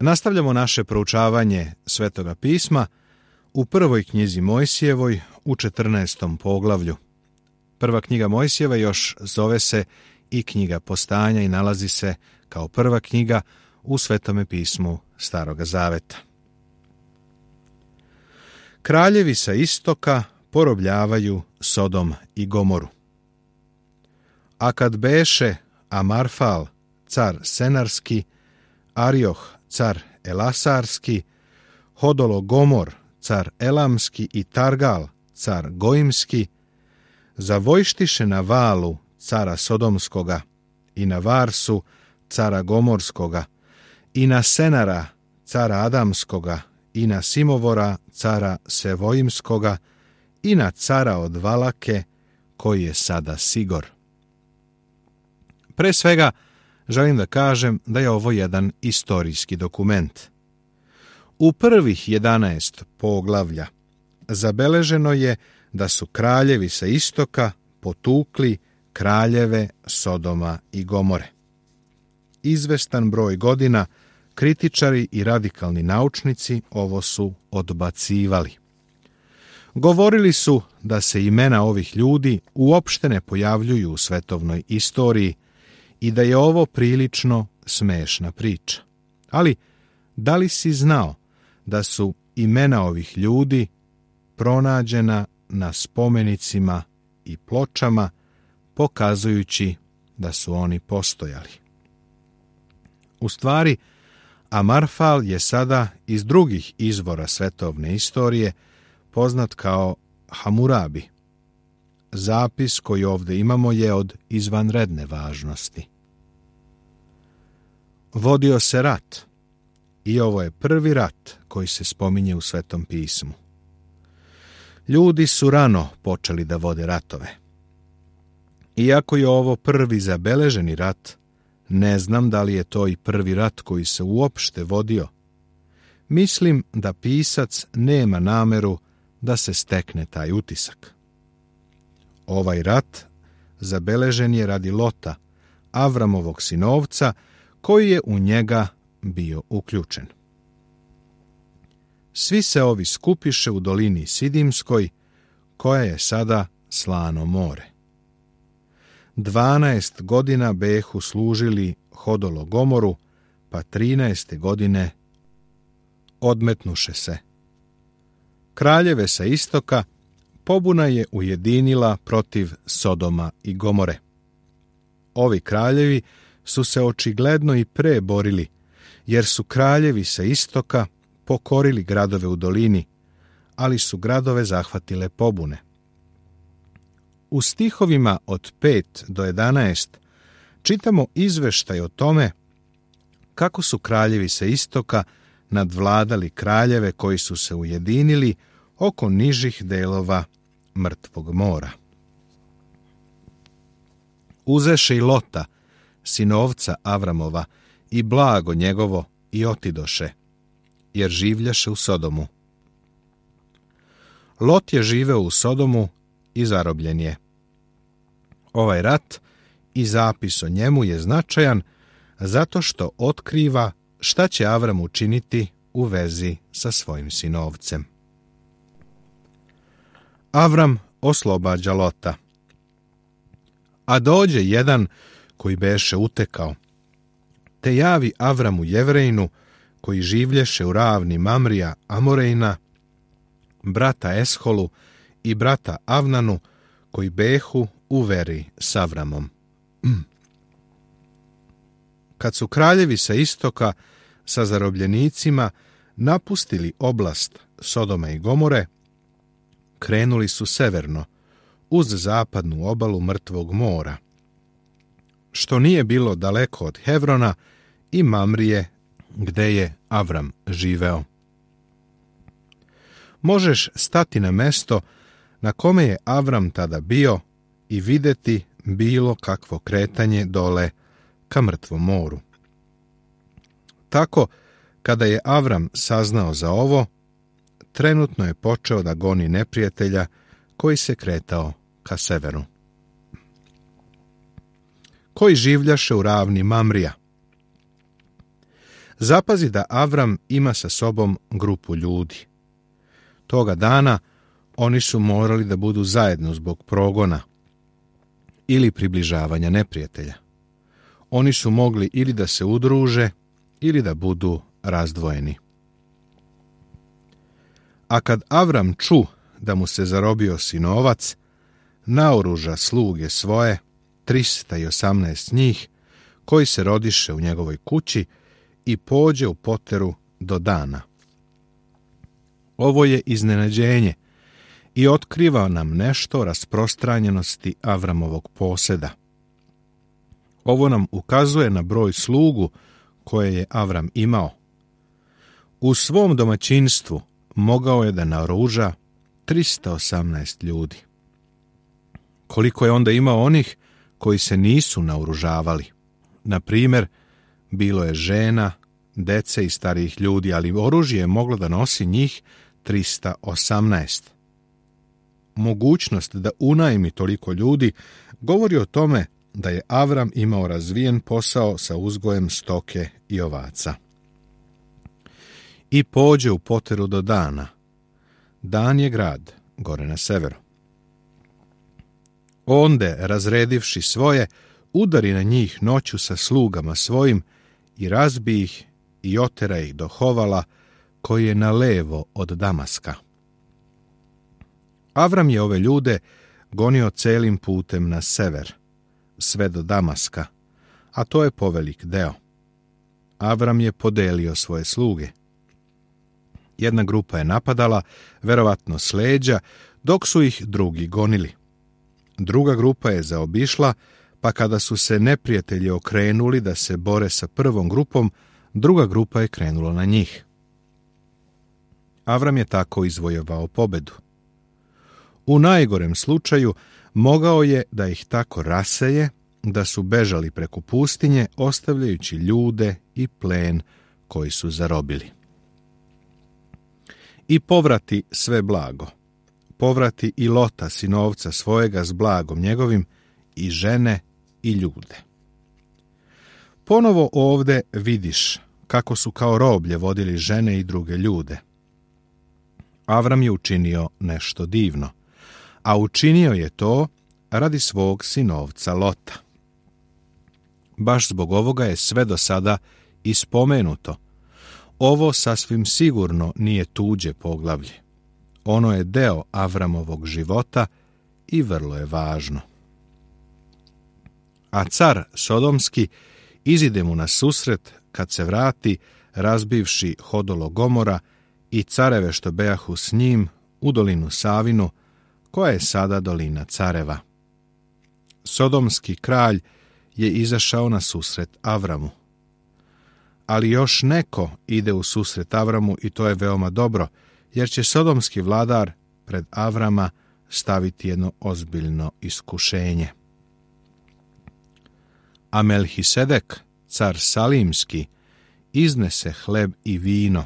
Nastavljamo naše proučavanje Svetoga pisma u prvoj knjizi Mojsijevoj u 14. poglavlju. Prva knjiga Mojsijeva još zove se i knjiga Postanja i nalazi se kao prva knjiga u Svetome pismu Staroga Zaveta. Kraljevi sa istoka porobljavaju Sodom i Gomoru. A kad beše Amarfal, car Senarski, Arioh, car Elasarski, Hodolo Gomor, car Elamski i Targal, car Goimski, zavojštiše na Valu, cara Sodomskoga, i na Varsu, cara Gomorskoga, i na Senara, cara Adamskoga, i na Simovora, cara Sevojimskoga, i na cara od Valake, koji je sada Sigor. Pre svega, želim da kažem da je ovo jedan istorijski dokument. U prvih 11 poglavlja zabeleženo je da su kraljevi sa istoka potukli kraljeve Sodoma i Gomore. Izvestan broj godina kritičari i radikalni naučnici ovo su odbacivali. Govorili su da se imena ovih ljudi uopšte ne pojavljuju u svetovnoj istoriji i da je ovo prilično smešna priča. Ali, da li si znao da su imena ovih ljudi pronađena na spomenicima i pločama, pokazujući da su oni postojali? U stvari, Amarfal je sada iz drugih izvora svetovne istorije poznat kao Hamurabi. Zapis koji ovdje imamo je od izvanredne važnosti. Vodio se rat i ovo je prvi rat koji se spominje u Svetom pismu. Ljudi su rano počeli da vode ratove. Iako je ovo prvi zabeleženi rat, ne znam da li je to i prvi rat koji se uopšte vodio. Mislim da pisac nema nameru da se stekne taj utisak. Ovaj rat zabeležen je radi Lota, Avramovog sinovca, koji je u njega bio uključen. Svi se ovi skupiše u dolini Sidimskoj, koja je sada slano more. 12 godina behu služili Hodolo Gomoru, pa 13. godine odmetnuše se. Kraljeve sa istoka pobuna je ujedinila protiv Sodoma i Gomore. Ovi kraljevi su se očigledno i pre borili, jer su kraljevi sa istoka pokorili gradove u dolini, ali su gradove zahvatile pobune. U stihovima od 5 do 11 čitamo izveštaj o tome kako su kraljevi sa istoka nadvladali kraljeve koji su se ujedinili oko nižih delova Mrtvog mora. Uzeše i Lota, sinovca Avramova, i blago njegovo i otidoše, jer življaše u Sodomu. Lot je živeo u Sodomu i zarobljen je. Ovaj rat i zapis o njemu je značajan zato što otkriva šta će Avram učiniti u vezi sa svojim sinovcem. Avram oslobađa Lota. A dođe jedan koji beše utekao, te javi Avramu Jevrejnu, koji življeše u ravni Mamrija Amorejna, brata Esholu i brata Avnanu, koji behu u veri s Avramom. Kad su kraljevi sa istoka sa zarobljenicima napustili oblast Sodoma i Gomore, krenuli su severno, uz zapadnu obalu Mrtvog mora, što nije bilo daleko od Hevrona i Mamrije, gde je Avram živeo. Možeš stati na mesto na kome je Avram tada bio i videti bilo kakvo kretanje dole ka Mrtvom moru. Tako, kada je Avram saznao za ovo, trenutno je počeo da goni neprijatelja koji se kretao ka severu. Koji življaše u ravni Mamrija. zapazi da Avram ima sa sobom grupu ljudi. Toga dana oni su morali da budu zajedno zbog progona ili približavanja neprijatelja. Oni su mogli ili da se udruže ili da budu razdvojeni. A kad Avram ču da mu se zarobio sinovac, naoruža sluge svoje, 318 njih, koji se rodiše u njegovoj kući, i pođe u poteru do Dana. Ovo je iznenađenje i otkriva nam nešto o rasprostranjenosti Avramovog poseda. Ovo nam ukazuje na broj slugu koje je Avram imao. U svom domaćinstvu mogao je da naoruža 318 ljudi. Koliko je onda imao onih koji se nisu naoružavali? Na primjer, bilo je žena, dece i starijih ljudi, ali oružje je moglo da nosi njih 318. Mogućnost da unajmi toliko ljudi govori o tome da je Avram imao razvijen posao sa uzgojem stoke i ovaca. I pođe u poteru do Dana. Dan je grad, gore na severu. Onde, razredivši svoje, udari na njih noću sa slugama svojim i razbi ih i otera ih do Hovala, koji je na levo od Damaska. Avram je ove ljude gonio celim putem na sever, sve do Damaska, a to je povelik deo. Avram je podelio svoje sluge. Jedna grupa je napadala, verovatno s leđa, dok su ih drugi gonili. Druga grupa je zaobišla, pa kada su se neprijatelji okrenuli da se bore sa prvom grupom, druga grupa je krenula na njih. Avram je tako izvojevao pobedu. U najgorem slučaju mogao je da ih tako raseje, da su bežali preko pustinje, ostavljajući ljude i plen koji su zarobili. I povrati sve blago. Povrati i Lota, sinovca svojega, s blagom njegovim, i žene i ljude. Ponovo ovde vidiš kako su kao roblje vodili žene i druge ljude. Avram je učinio nešto divno, a učinio je to radi svog sinovca Lota. Baš zbog ovoga je sve do sada ispomenuto. Ovo sasvim sigurno nije tuđe poglavlje. Ono je deo Avramovog života i vrlo je važno. A car Sodomski izide mu na susret kad se vrati, razbivši hodolo Gomora i careve što bejahu s njim u dolinu Savinu, koja je sada dolina careva. Sodomski kralj je izašao na susret Avramu. Ali još neko ide u susret Avramu i to je veoma dobro, jer će sodomski vladar pred Avrama staviti jedno ozbiljno iskušenje. A Melhisedek, car Salimski, iznese hleb i vino,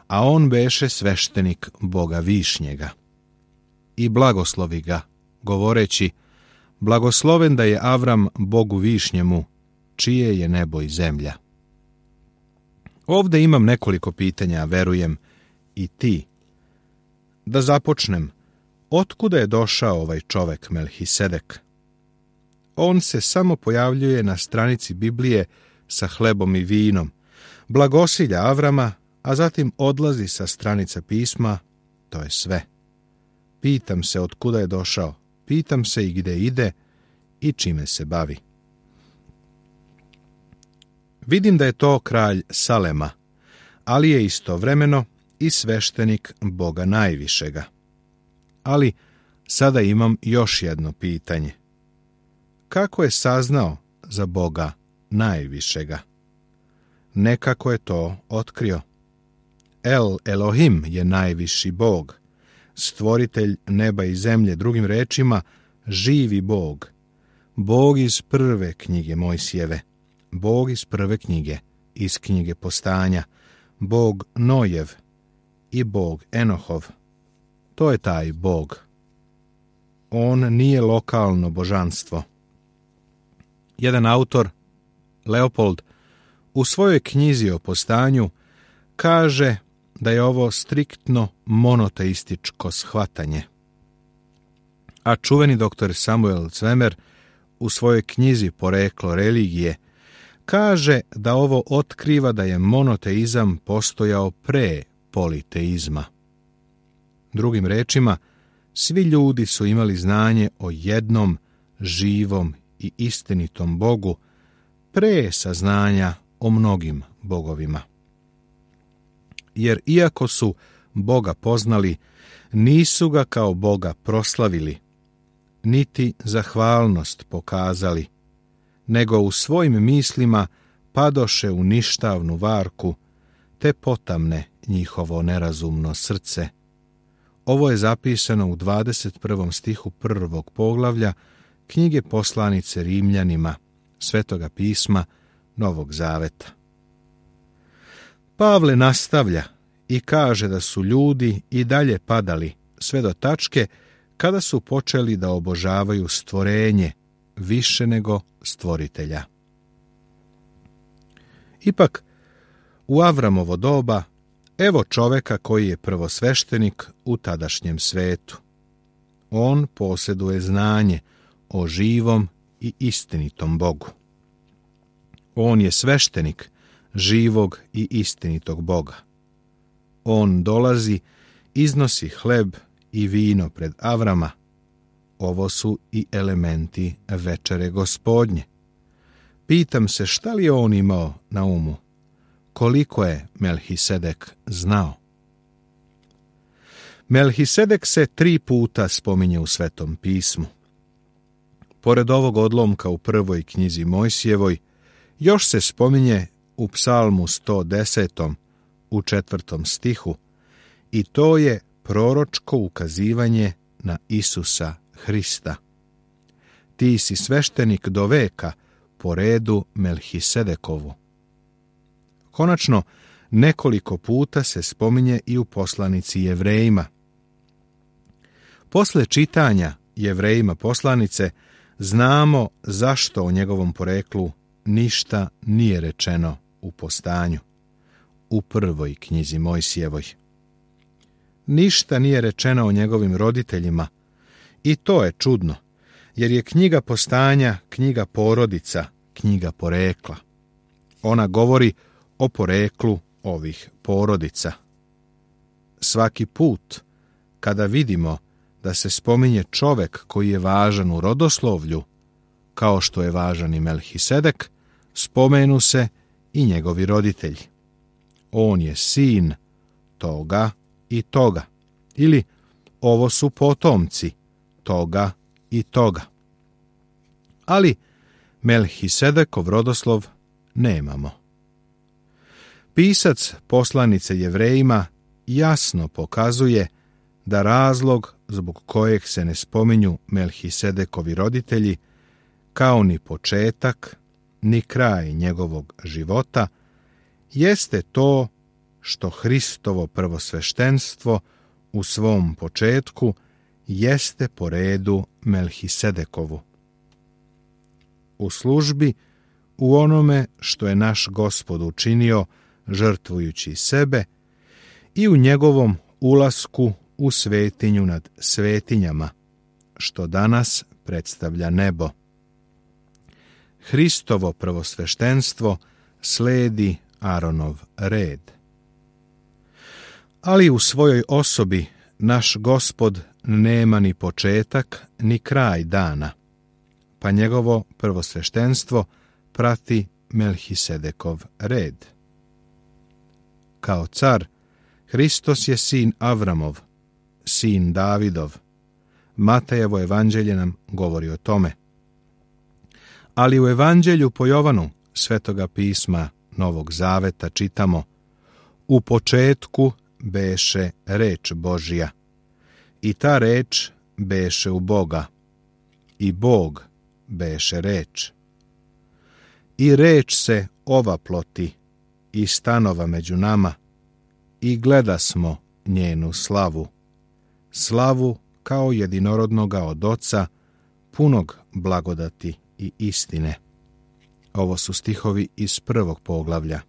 a on beše sveštenik Boga Višnjega. I blagoslovi ga, govoreći: blagosloven da je Avram Bogu Višnjemu, čije je nebo i zemlja. Ovde imam nekoliko pitanja, verujem i ti. Da započnem, otkuda je došao ovaj čovek Melhisedek? On se samo pojavljuje na stranici Biblije sa hlebom i vinom, blagosilja Avrama, a zatim odlazi sa stranica pisma, to je sve. Pitam se otkuda je došao, pitam se i gde ide i čime se bavi. Vidim da je to kralj Salema, ali je istovremeno i sveštenik Boga Najvišega. Ali sada imam još jedno pitanje. Kako je saznao za Boga Najvišega? Nekako je to otkrio. El Elohim je najviši Bog, stvoritelj neba i zemlje, drugim rečima, živi Bog. Bog iz prve knjige Mojsijeve, Bog iz prve knjige, iz knjige Postanja, Bog Nojev i Bog Enohov. To je taj Bog. On nije lokalno božanstvo. Jedan autor, Leopold, u svojoj knjizi o postanju kaže da je ovo striktno monoteističko shvatanje. A čuveni dr. Samuel Zwemer u svojoj knjizi Poreklo religije kaže da ovo otkriva da je monoteizam postojao pre politeizma. Drugim rečima, svi ljudi su imali znanje o jednom živom i istinitom Bogu pre saznanja o mnogim bogovima. Jer iako su Boga poznali, nisu ga kao Boga proslavili, niti zahvalnost pokazali, nego u svojim mislima padoše u ništavnu varku, te potamne njihovo nerazumno srce. Ovo je zapisano u 21. stihu 1. poglavlja knjige poslanice Rimljanima, Svetoga pisma Novog Zaveta. Pavle nastavlja i kaže da su ljudi i dalje padali sve do tačke kada su počeli da obožavaju stvorenje više nego stvoritelja. Ipak, u Avramovo doba, evo čoveka koji je prvosveštenik u tadašnjem svetu. On posjeduje znanje o živom i istinitom Bogu. On je sveštenik živog i istinitog Boga. On dolazi, iznosi hleb i vino pred Avrama. Ovo su i elementi večere Gospodnje. Pitam se šta li je on imao na umu? Koliko je Melhisedek znao? Melhisedek se 3 puta spominje u Svetom pismu. Pored ovog odlomka u prvoj knjizi Mojsijevoj, još se spominje u Psalmu 110. u 4. stihu i to je proročko ukazivanje na Isusa Hrista. Ti si sveštenik do veka po redu Melhisedekovu. Konačno, nekoliko puta se spominje i u poslanici Jevrejima. Posle čitanja Jevrejima poslanice, znamo zašto o njegovom poreklu ništa nije rečeno u postanju, u prvoj knjizi Mojsijevoj. Ništa nije rečeno o njegovim roditeljima i to je čudno, jer je knjiga postanja knjiga porodica, knjiga porekla. Ona govori o poreklu ovih porodica. Svaki put kada vidimo da se spominje čovek koji je važan u rodoslovlju, kao što je važan i Melhisedek, spomenu se i njegovi roditelji. On je sin toga i toga, ili ovo su potomci toga i toga. Ali Melhisedekov rodoslov nemamo. Pisac poslanice Jevrejima jasno pokazuje da razlog zbog kojeg se ne spominju Melhisedekovi roditelji, kao ni početak, ni kraj njegovog života, jeste to što Hristovo prvosveštenstvo u svom početku jeste po redu Melhisedekovu. U službi, u onome što je naš Gospod učinio žrtvujući sebe i u njegovom ulasku u svetinju nad svetinjama, što danas predstavlja nebo. Hristovo prvosveštenstvo sledi Aronov red. Ali u svojoj osobi naš Gospod nema ni početak ni kraj dana, pa njegovo prvosveštenstvo prati Melhisedekov red. Kao car, Hristos je sin Avramov, sin Davidov. Matejevo evanđelje nam govori o tome. Ali u evanđelju po Jovanu, Svetoga pisma Novog Zaveta, čitamo: u početku beše reč Božja, i ta reč beše u Boga, i Bog beše reč. I reč se ovaploti i stanova među nama, i gledasmo njenu slavu, slavu kao jedinorodnoga od Oca, punog blagodati i istine. Ovo su stihovi iz 1. poglavlja.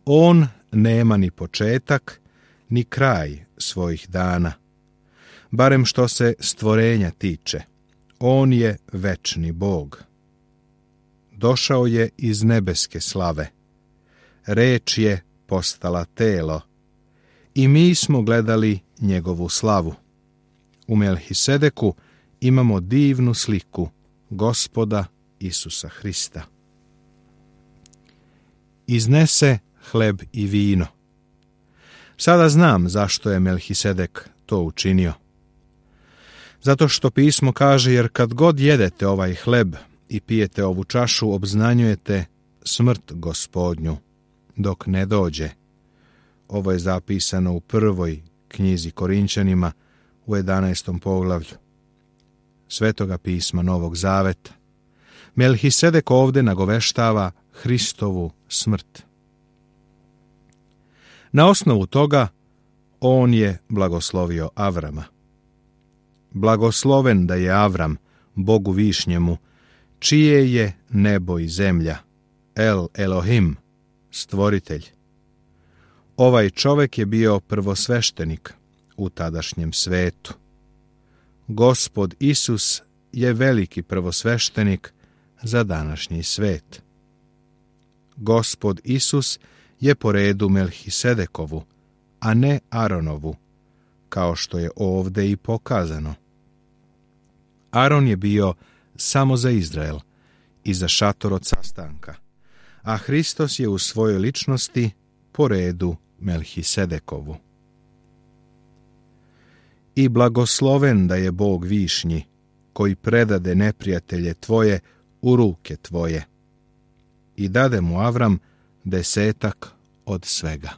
On nema ni početak, ni kraj svojih dana, barem što se stvorenja tiče. On je večni Bog. Došao je iz nebeske slave. Reč je postala telo i mi smo gledali njegovu slavu. U Melhisedeku imamo divnu sliku Gospoda Isusa Hrista. Iznese hleb i vino. Sada znam zašto je Melhisedek to učinio. Zato što pismo kaže, jer kad god jedete ovaj hleb i pijete ovu čašu, obznanjujete smrt Gospodnju, dok ne dođe. Ovo je zapisano u 1. knjizi Korinćanima u 11. poglavlju Svetoga pisma Novog Zaveta. Melhisedek ovdje nagoveštava Hristovu smrt. Na osnovu toga on je blagoslovio Avrama. Blagosloven da je Avram, Bogu višnjemu, čije je nebo i zemlja, El Elohim, stvoritelj. Ovaj čovjek je bio prvosveštenik u tadašnjem svetu. Gospod Isus je veliki prvosveštenik za današnji svet. Gospod Isus je po redu Melhisedekovu, a ne Aronovu, kao što je ovdje i pokazano. Aron je bio samo za Izrael i za šator od sastanka, a Hristos je u svojoj ličnosti po redu Melhisedekovu. I blagosloven da je Bog višnji, koji predade neprijatelje tvoje u ruke tvoje. I dade mu Avram 10 od svega.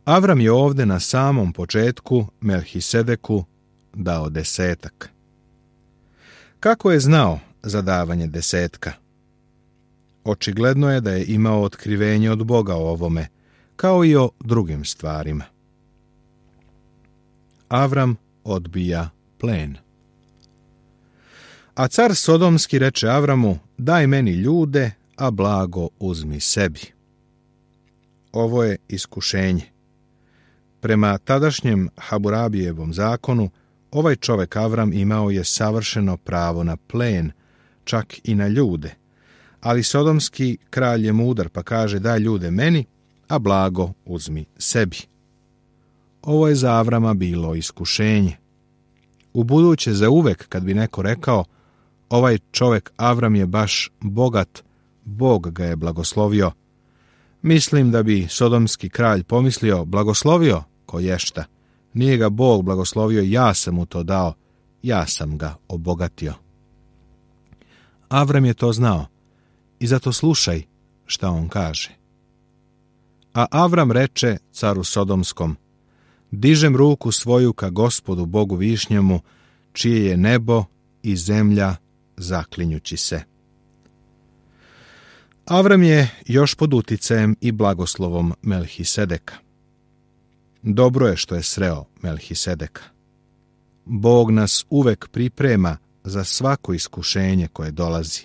Avram je ovdje na samom početku Melhisedeku dao 10. Kako je znao za davanje 10? Očigledno je da je imao otkrivenje od Boga o ovome, kao i o drugim stvarima. Avram odbija plen. A car Sodomski reče Avramu, daj meni ljude, a blago uzmi sebi. Ovo je iskušenje. Prema tadašnjem Haburabijevom zakonu, ovaj čovjek Avram imao je savršeno pravo na plen, čak i na ljude, ali Sodomski kralj je mudar pa kaže daj ljude meni, a blago uzmi sebi. Ovo je za Avrama bilo iskušenje. Ubuduće za uvek kad bi neko rekao ovaj čovjek Avram je baš bogat, Bog ga je blagoslovio, mislim da bi Sodomski kralj pomislio blagoslovio koješta, nije ga Bog blagoslovio, ja sam mu to dao, ja sam ga obogatio. Avram je to znao i zato slušaj šta on kaže. A Avram reče caru Sodomskom, dižem ruku svoju ka Gospodu Bogu višnjemu, čije je nebo i zemlja, zaklinjući se. Avram je još pod uticajem i blagoslovom Melhisedeka. Dobro je što je sreo Melhisedeka. Bog nas uvek priprema za svako iskušenje koje dolazi.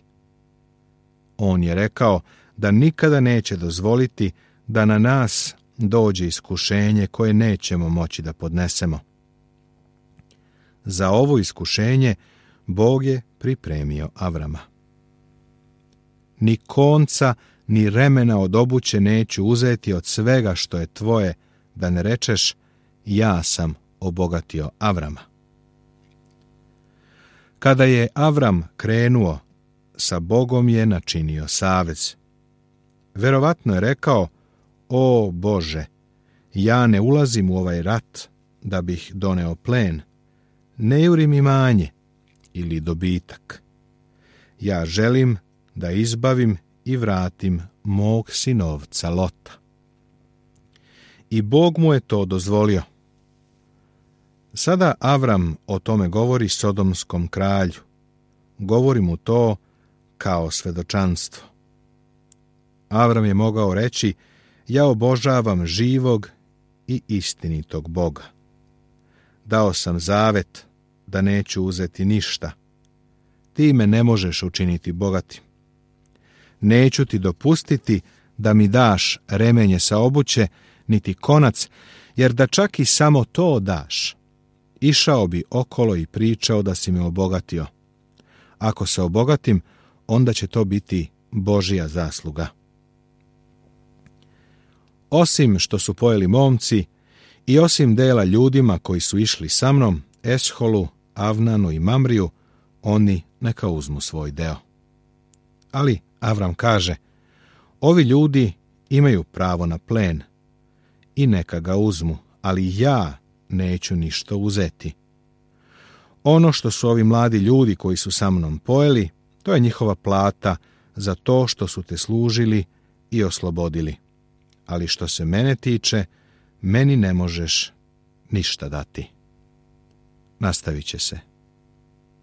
On je rekao da nikada neće dozvoliti da na nas dođe iskušenje koje nećemo moći da podnesemo. Za ovo iskušenje Bog je pripremio Avrama. Ni konca, ni remena od obuće neću uzeti od svega što je tvoje, da ne rečeš, ja sam obogatio Avrama. Kada je Avram krenuo, sa Bogom je načinio savez. Verovatno je rekao, o Bože, ja ne ulazim u ovaj rat da bih doneo plen, ne jurim imanje ili dobitak. Ja želim da izbavim i vratim mog sinovca Lota. I Bog mu je to dozvolio. Sada Avram o tome govori Sodomskom kralju. Govori mu to kao svedočanstvo. Avram je mogao reći, ja obožavam živog i istinitog Boga. Dao sam zavet da neću uzeti ništa. ti me ne možeš učiniti bogatim. Neću ti dopustiti da mi daš remenje sa obuće, niti konac, jer da čak i samo to daš, išao bi okolo i pričao da si me obogatio. Ako se obogatim, onda će to biti Božja zasluga. Osim što su pojeli momci i osim dela ljudima koji su išli sa mnom, Esholu, Avnanu i Mamriju, oni neka uzmu svoj deo. Ali Avram kaže, ovi ljudi imaju pravo na plen i neka ga uzmu, ali ja neću ništa uzeti. Ono što su ovi mladi ljudi koji su sa mnom pojeli, to je njihova plata za to što su te služili i oslobodili. Ali što se mene tiče, meni ne možeš ništa dati. Nastavit će se.